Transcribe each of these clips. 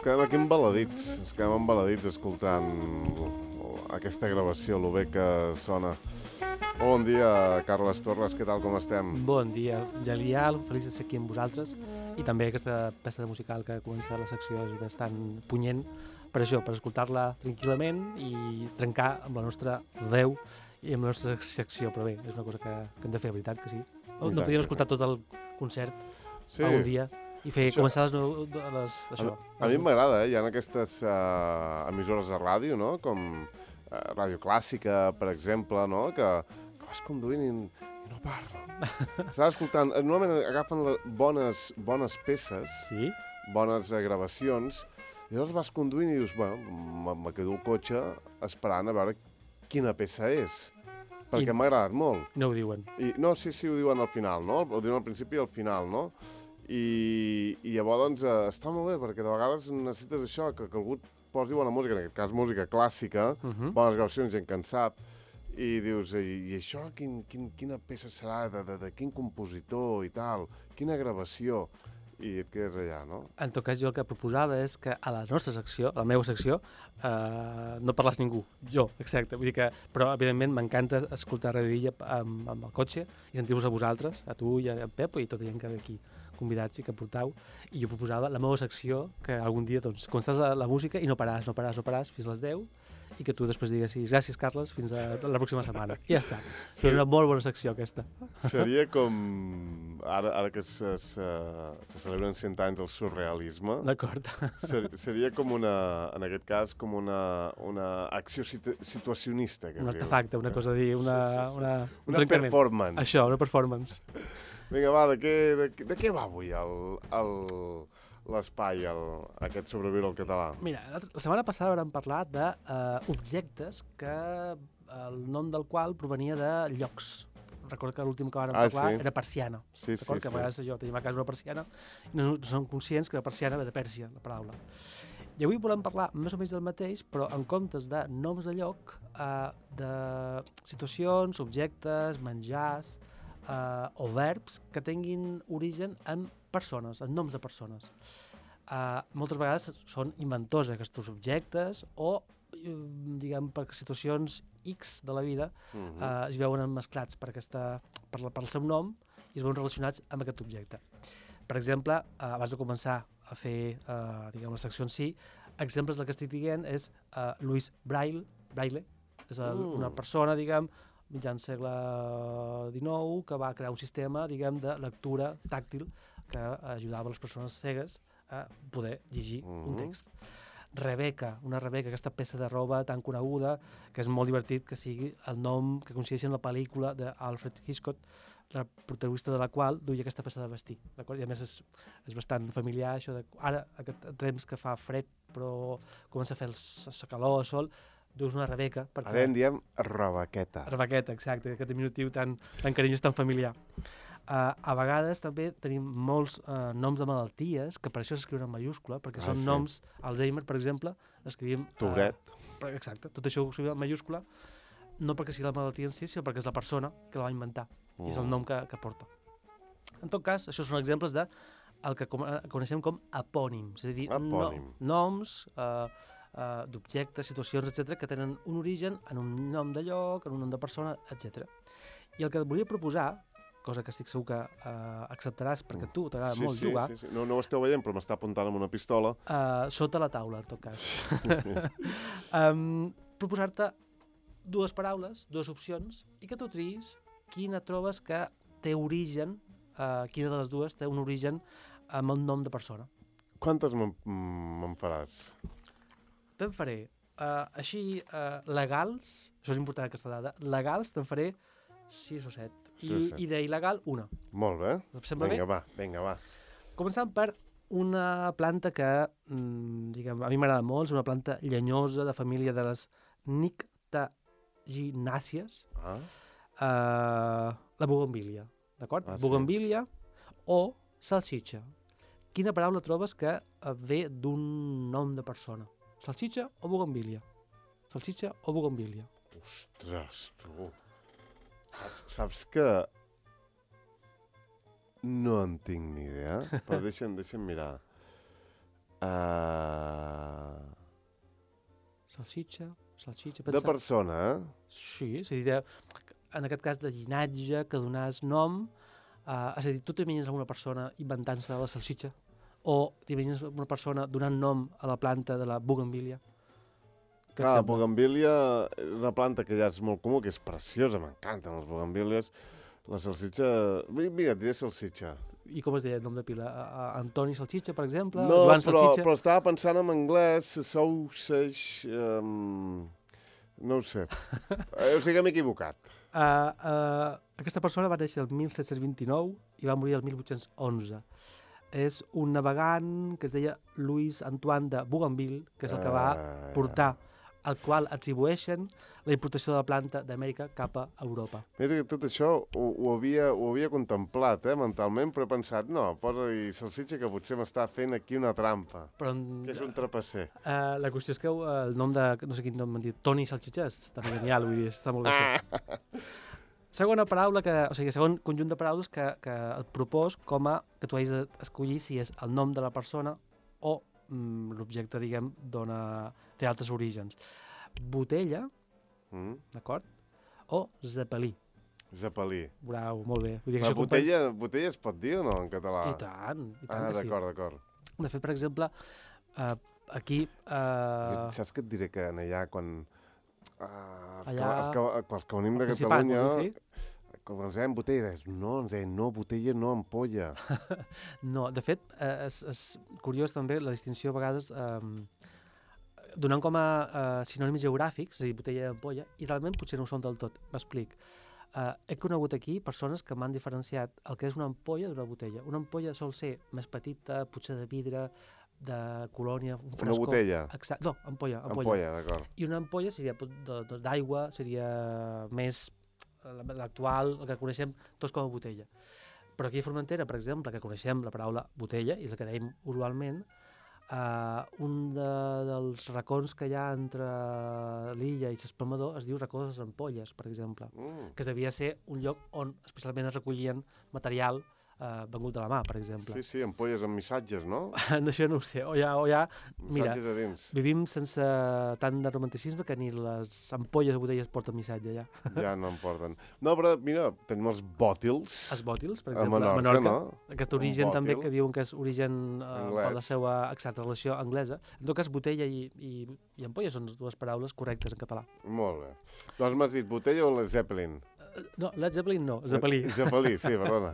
quedem aquí embaladits, escoltant aquesta gravació, lo bé que sona. Bon dia, Carles Torres, què tal, com estem? Bon dia, genial, feliç de ser aquí amb vosaltres. I també aquesta peça musical que comença la secció és bastant punyent per això, per escoltar-la tranquil·lament i trencar amb la nostra veu i amb la nostra secció, però bé, és una cosa que hem de fer, veritat que sí. No podíem escoltar tot el concert un dia i començar això. A mi m'agrada, hi ha aquestes emissores de ràdio, no?, com Ràdio Clàssica, per exemple, no?, que vas conduint i no parla. Estàs escoltant, normalment agafen bones peces, sí? Bones gravacions, i llavors vas conduint i dius, bueno, me quedo al cotxe esperant a veure quina peça és, perquè m'ha agradat molt. No ho diuen. No, sí, ho diuen al final, no? Ho diuen al principi i al final, no? I llavors, doncs, està molt bé, perquè de vegades necessites això, que algú posi bona música, en aquest cas música clàssica, bones gravacions, gent que en sap, i dius, i això quina peça serà, de quin compositor i tal, quina gravació, i et quedes allà, no? En tot cas, jo el que proposava és que a la nostra secció, a la meva secció, no parlàs ningú, jo, exacte, vull dir que, però evidentment m'encanta escoltar Ràdio Illa amb el cotxe i sentir-vos a vosaltres, a tu i a Pep i tota gent que ve aquí convidats i que portau, i jo proposava la meva secció, que algun dia, doncs, començaràs la música i no paràs fins a les 10, i que tu després diguessis gràcies, Carles, fins a la pròxima setmana. I ja està. Seria una molt bona secció, aquesta. Seria com, ara que se celebren 100 anys del surrealisme, d'acord. Seria com en aquest cas, com una acció situacionista. Un artefacte, una cosa a dir, una performance. Això, una performance. Vinga, va, de què va avui l'espai, aquest sobreviure al català? Mira, la setmana passada vam parlar d'objectes que el nom del qual provenia de llocs. Recordo que l'últim que vam parlar era persiana. Sí. Que a vegades tenim a casa una persiana i no som conscients que la persiana ve de Pèrsia, la paraula. I avui volem parlar més o menys del mateix, però en comptes de noms de lloc, de situacions, objectes, menjars, o verbs que tinguin origen en persones, en noms de persones. Moltes vegades són inventors aquests objectes o, diguem, per situacions X de la vida es veuen mesclats per el seu nom i es veuen relacionats amb aquest objecte. Per exemple, abans de començar a fer la secció en si, exemples del que estic dient és Louis Braille, és una persona, diguem, mitjan segle XIX, que va crear un sistema, diguem, de lectura tàctil que ajudava les persones cegues a poder llegir un text. Rebecca, aquesta peça de roba tan coneguda, que és molt divertit que sigui el nom que coincideixi en la pel·lícula d'Alfred Hitchcock, la protagonista de la qual duia aquesta peça de vestir, d'acord? I a més és bastant familiar, això de... Ara, aquest temps que fa fred, però comença a fer la calor, el sol, duus una Rebecca. Ara en diem Rebequeta. Rebequeta, exacte, aquest diminutiu tan carinyós, tan familiar. A vegades també tenim molts noms de malalties, que per això s'escriuen en mayúscula, perquè són noms, Alzheimer, per exemple, l'escrivim... Tourette. Exacte, tot això ho escrivim en mayúscula, no perquè sigui la malaltia en si, sinó perquè és la persona que la va inventar, i és el nom que porta. En tot cas, això són exemples de el que coneixem com apònims, és a dir, noms d'objectes, situacions, etc., que tenen un origen en un nom de lloc, en un nom de persona, etc. I el que et volia proposar, cosa que estic segur que acceptaràs perquè tu t'agrada molt jugar... Sí. No ho esteu veient, però m'està apuntant amb una pistola. Sota la taula, en tot cas. Proposar-te dues paraules, dues opcions, i que tu triïs quina trobes que té origen, quina de les dues té un origen amb el nom de persona. Quantes me'n faràs? Te'n faré, així, legals, això és important aquesta dada, legals te'n faré 6 o 7. I d'il·legal, una. Molt bé. Et sembla bé? Vinga, va. Començant per una planta que, diguem, a mi m'agrada molt, és una planta llenyosa de família de les nictaginàcies, la bugambília, d'acord? Bugambília o salsitxa. Quina paraula trobes que ve d'un nom de persona? Salsitxa o bugambília? Salsitxa o bugambília? Ostres, tu... Saps que no en tinc ni idea, però deixa'm mirar. Salsitxa. De persona, Sí, és a dir, en aquest cas de llinatge, que donàs nom, és a dir, tu t'imagines una persona inventant-se la salsitxa o t'imagines una persona donant nom a la planta de la bugambilia? Clar, la bugambília és una planta que ja és molt comú, que és preciosa, m'encanten les bugambílies. La salsitxa... Mira, et diré salsitxa. I com es deia el nom de pila? Antoni Salsitxa, per exemple? No, Joan Salsitxa? però estava pensant en anglès, sausage... no ho sé. O sigui que m'he equivocat. Aquesta persona va néixer el 1729 i va morir el 1811. És un navegant que es deia Louis Antoine de Bougainville, que és el que va portar, al qual atribueixen la importació de la planta d'Amèrica cap a Europa. Mira que tot això ho havia contemplat, mentalment, però he pensat, no, posa-hi salsitxa que potser m'està fent aquí una trampa, que és un trapasser. La qüestió és que el nom de, no sé quin nom m'han dit, Toni Salsitxa, està genial, vull dir, està molt bé això. Segona paraula, segon conjunt de paraules que et propos com a que tu hagis d'escollir si és el nom de la persona o l'objecte, diguem, té altres orígens. Botella, d'acord? O zepelí. Zepelí. Bravo, molt bé. Vull dir que botella es pot dir o no, en català? I tant que sí. D'acord. De fet, per exemple, aquí... Saps què et diré que allà, quan... els que venim de Catalunya... Quan ens deien botella, ens deien no, botella no, ampolla. No, de fet, és curiós també la distinció a vegades donant com a sinònims geogràfics, és a dir, botella i ampolla, i realment potser no ho són del tot. M'explic. He conegut aquí persones que m'han diferenciat el que és una ampolla d'una botella. Una ampolla sol ser més petita, potser de vidre, de colònia, un frescor. Una botella? Exacte. No, ampolla. Ampolla, d'acord. I una ampolla seria d'aigua, seria més... l'actual, el que coneixem tots com a botella. Però aquí a Formentera, per exemple, que coneixem la paraula botella, i és la que dèiem usualment, un dels racons que hi ha entre l'illa i l'Espalmador es diu racó de les Ampolles, per exemple, que devia ser un lloc on especialment es recollien material vengut de la mà, per exemple. Sí, ampolles amb missatges, no? D'això no ho sé. O ja mira, missatges a dins. Vivim sense tant de romanticisme que ni les ampolles de botelles porten missatge, ja. Ja no en porten. No, però mira, tenim els bòtils. Els bòtils, per exemple, a Menorca. No? Aquest origen també, que diuen que és origen per la seva exacta relació anglesa. En tot cas, botella i ampolla són dues paraules correctes en català. Molt bé. Doncs m'has dit botella o la Zeppelin? No, Led Zeppelin no, Zeppelí. Zeppelí, sí, perdona.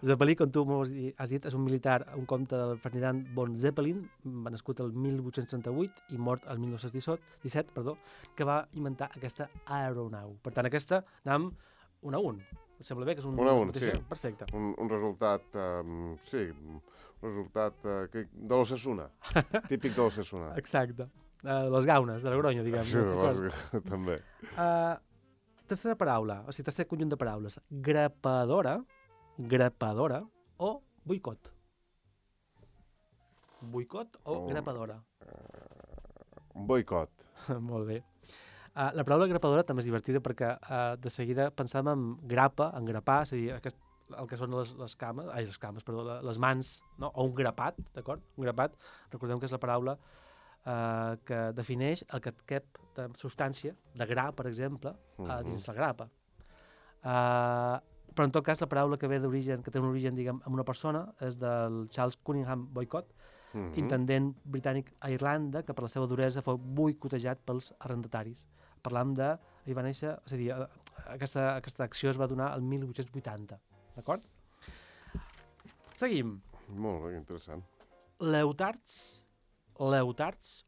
Zeppelí, com tu has dit, és un militar, un comte del Ferdinand von Zeppelin, nascut el 1838 i mort el 1917, que va inventar aquesta aeronau. Per tant, aquesta anem 1 a 1. Et sembla bé que és un... 1 a 1, sí. Perfecte. Un resultat, sí, un resultat de l'Osasuna, típic de l'Osasuna. Exacte. Les gaunes, de Logroño, diguem. Sí, també. Tercera paraula, o sigui, tercer conjunt de paraules. Grapadora o boicot. Boicot o grapadora? Boicot. Molt bé. La paraula grapadora també és divertida perquè de seguida pensàvem en grapa, en grapar, és a dir, el que són les mans, no? O un grapat, d'acord? Un grapat, recordem que és la paraula que defineix el que et cap de substància, de gra, per exemple, dins la grapa. Però en tot cas la paraula que ve d'origen, que té un origen, diguem, en una persona, és del Charles Cunningham Boycott, intendent britànic a Irlanda, que per la seva duresa fou boicotejat pels arrendataris. Parlam de... Ell va néixer... És a dir, aquesta acció es va donar el 1880. D'acord? Seguim. Molt bé, interessant. Leotards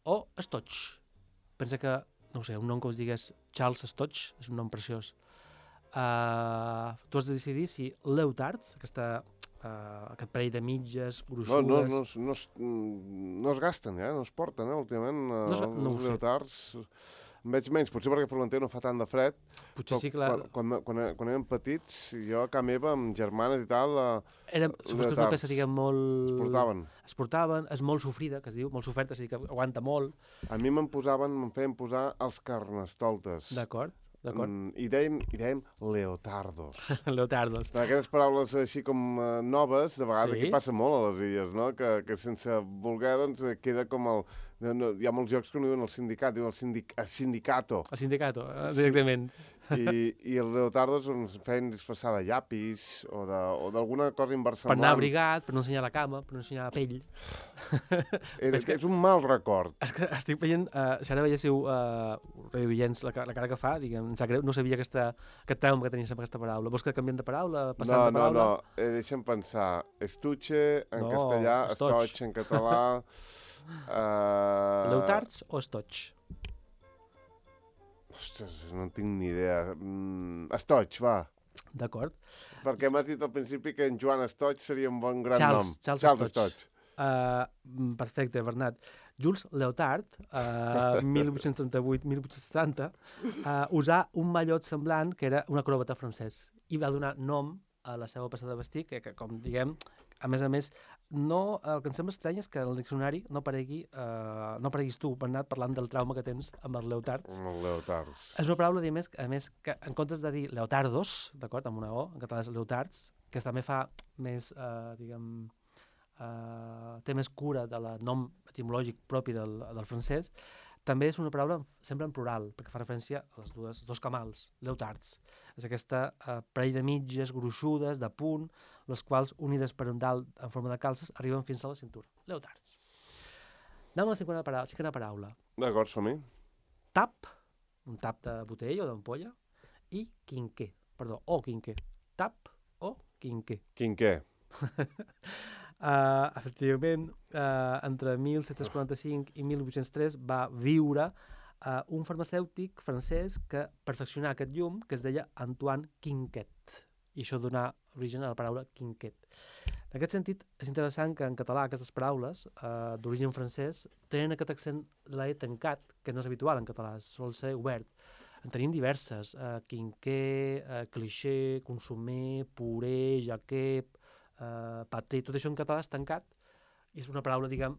o Stotch. Pensa que, no ho sé, un nom que us digués Charles Stotch, és un nom preciós. Tu has de decidir si Leotards, aquest parell de mitges, gruixudes... No es gasten, no es porten, últimament. No els Leotards... En veig menys, potser perquè Formentera no fa tant de fred. Potser sí que quan érem petits, jo a casa meva, amb germanes i tal... Suposo que és una peça, diguem, molt... Es portaven, és molt sofrida, que es diu, molt soferta, és a dir, que aguanta molt. A mi me'n feien posar els carnestoltes. D'acord. d'acord. I dèiem leotardos. Leotardos. Aquestes paraules així com noves, de vegades aquí Sí. passa molt a les illes, no? Que sense voler, doncs, queda com el... hi ha molts llocs que no diuen el sindicat, diuen el sindicato. El sindicato, directament. I els leotardos ens feien disfressar de llapis o d'alguna cosa Per inversemblant. anar abrigat, per no ensenyar la cama, per no ensenyar la pell. És un mal record. És que estic veient, si ara veiéssiu radioients, la cara que fa, diguem, em sap greu, no sabia aquest trauma que tenies amb aquesta paraula. Vols que canviem de paraula, passant de paraula? No, deixa'm pensar. Estuche en castellà, estoig estoig en català... Leutards o estoig? Ostres, no en tinc ni idea. Estoig, va. D'acord. Perquè m'has dit al principi que en Joan Estoig seria un bon gran nom. Charles Estoig. Perfecte, Bernat. Jules Leotard, 1838-1870, usà un mallot semblant que era un acròbata francès i va donar nom a la seva peça de vestir, que com diguem, a més, no, el que em sembla estrany és que en el diccionari no apareguis tu, Bernat, parlant del trauma que tens amb els leotards. Amb els leotards. És una paraula, a més, que en comptes de dir leotardos, d'acord, amb una O, en català és leotards, que també fa més, té més cura del nom etimològic propi del francès, també és una paraula sempre en plural, perquè fa referència a els dos camals, leotards. És aquesta parell de mitges gruixudes, de punt, les quals, unides per un dalt en forma de calces, arriben fins a la cintura. Leotards. Anem a la cinquena paraula. D'acord, som-hi. Tap, un tap de botell o d'ampolla, i quinquer, o quinquer. Tap o quinquer. Quinquer. Efectivament, entre 1745 i 1803 va viure un farmacèutic francès que perfeccionà aquest llum, que es deia Antoine Quinquet, i això donà origen a la paraula quinquet. En aquest sentit, és interessant que en català aquestes paraules d'origen francès tenen aquest accent de la E tancat, que no és habitual en català, sol ser obert. En tenim diverses, quinquer, cliché, consomé, puré, jaquep, paté, tot això en català és tancat, i és una paraula, diguem,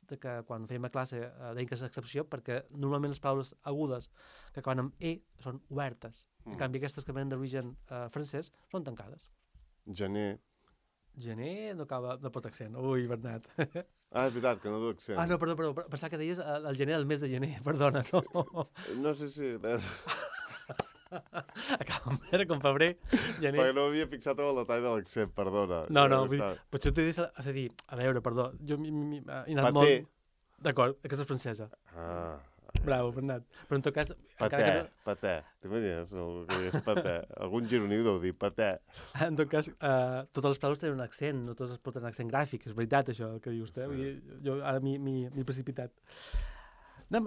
que quan fèiem a classe deien que és excepció, perquè normalment les paraules agudes que acaben amb E són obertes. En canvi, aquestes que venen d'origen francès són tancades. Gener. Gener no acaba, no pot accent. Ui, Bernat. És veritat, que no du accent. No, perdó, pensava que deies el gener del mes de gener, perdona, no. No sé si... Acaba amb era com febrer, gener... Perquè no m'havia fixat en el detall de l'accent, perdona. No, potser t'ho he dit, és a dir, a veure, perdó, jo he anat molt... Paté. D'acord, aquesta és francesa. Bravo, Bernat. Però en tot cas... Paté. T'imagines el que és paté? Algun gironí ho deu dir, paté. En tot cas, totes les paraules tenen un accent, no totes es pot tenir accent gràfic, és veritat això que dius, eh? Sí. Jo ara m'he precipitat.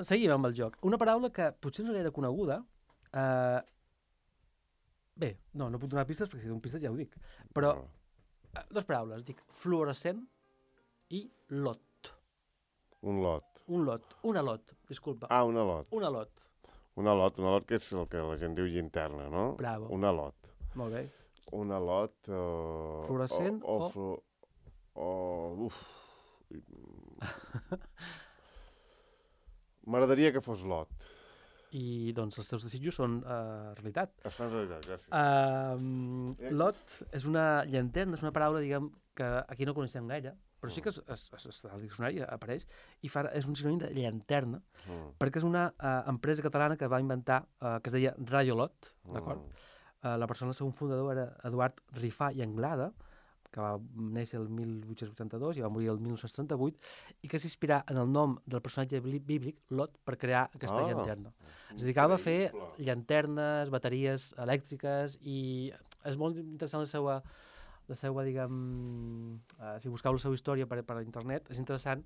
Seguim amb el joc. Una paraula que potser no era coneguda, bé, no puc donar pistes perquè si dono pistes ja ho dic, però dues paraules, dic fluorescent i lot. Un lot. Una lot, disculpa. Una lot. Una lot, que és el que la gent diu llinterna, no? Bravo. Una lot. Molt bé. Una lot... Fluorescent M'agradaria que fos lot. I doncs els teus desitjos són realitat. Es fan realitat, gràcies. Lot és una llanterna, és una paraula, diguem, que aquí no coneixem gaire, però sí que al diccionari apareix, i és un sinònim de llanterna, perquè és una empresa catalana que va inventar, que es deia Radiolot, d'acord? La persona, el segon fundador, era Eduard Rifà i Anglada, que va néixer el 1882 i va morir el 1938, i que s'inspirà en el nom del personatge bíblic, Lot, per crear aquesta llanterna. Es dedicava a fer llanternes, bateries elèctriques, i és molt interessant la seva, diguem, si buscau la seva història per internet, és interessant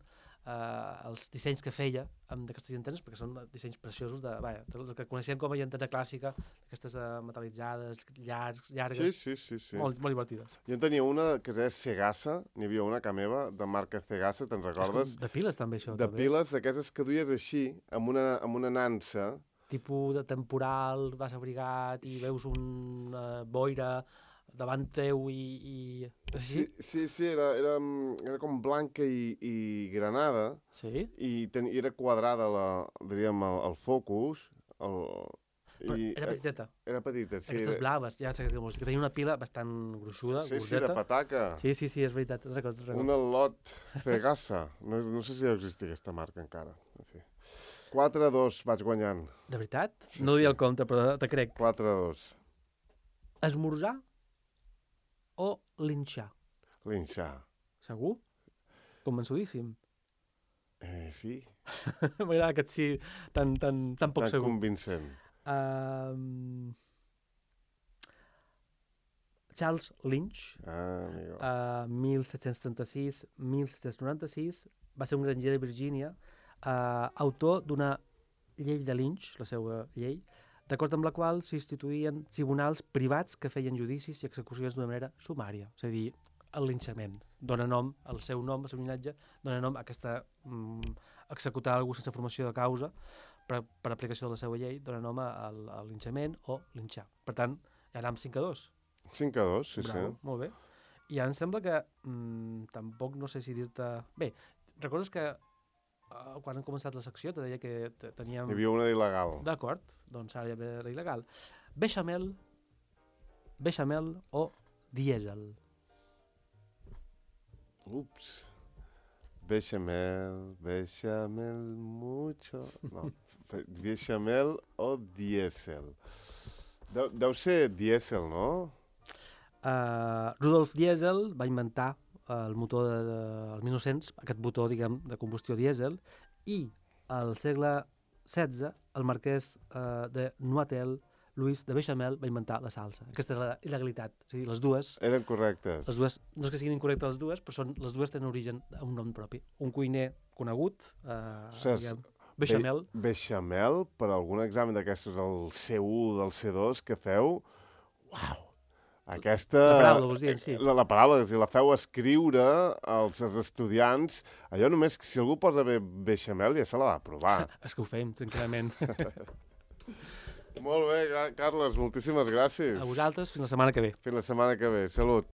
els dissenys que feia d'aquestes llanternes, perquè són dissenys preciosos del que coneixem com a llanterna clàssica, aquestes metal·litzades, llargues, sí. molt divertides. Jo en tenia una que es deia Segassa, n'hi havia una a casa meva, de marca Segassa, te'n recordes? De piles també, això. De piles, d'aquestes que duies així, amb una nansa. Tipus de temporal, vas abrigat i veus una boira davant teu i... Sí, era com blanca i granada. Sí? I era quadrada, diríem, el focus. Però era petiteta. Era petita, sí. Aquestes blaves, ja sé que tenia una pila bastant gruixuda, Sí, gordeta. de pataca. Sí, és veritat, recordo. Una Lot Cegassa. No sé si deu existir aquesta marca encara. En fi. 4-2 vaig guanyant. De veritat? Sí, No diria el compte, però te crec. 4-2. Esmorzar o linxar? Linxar. Segur? Convençudíssim. Sí. M'agrada que et sí tan poc Tan segur. convincent. Charles Lynch, Amigo. 1736-1796, va ser un granger de Virgínia, autor d'una llei de Lynch, la seva llei, d'acord amb la qual s'instituïen tribunals privats que feien judicis i execucions d'una manera sumària, és a dir, el linxament. Dóna nom, el seu nom, el seu llinatge, dóna nom a aquesta executar algú sense formació de causa per aplicació de la seva llei, dóna nom al linxament o linxar. Per tant, ja anem 5-2. 5-2, sí, Bravo, sí. molt bé. I ara em sembla que tampoc no sé si dir-te... Bé, recordes que quan hem començat la secció te deia que teníem... Hi havia una il·legal. D'acord, doncs ara hi ha la il·legal. Beixamel o dièsel? Ups. Bechamel mucho... No, bechamel o dièsel? Deu ser dièsel, no? Rudolf Diesel va inventar el motor del 1900, aquest motor, diguem, de combustió dièsel, i al segle XVI el marquès de Noatel, Louis de Bechamel, va inventar la salsa. Aquesta és la il·legalitat. És a dir, les dues... Eren correctes. Les dues, no és que siguin incorrectes les dues, però les dues tenen origen a un nom propi. Un cuiner conegut, diguem, Bechamel. Bechamel, per algun examen d'aquestos del C1, del C2 que feu, uau! Aquesta... La paraula, vols dir, en si. La paraula, si la feu escriure als estudiants, allò només, si algú posa bé Bechamel ja se la va provar. És que ho fem, tranquil·lament. Molt bé, Carles, moltíssimes gràcies. A vosaltres, fins la setmana que ve. Fins la setmana que ve. Salut.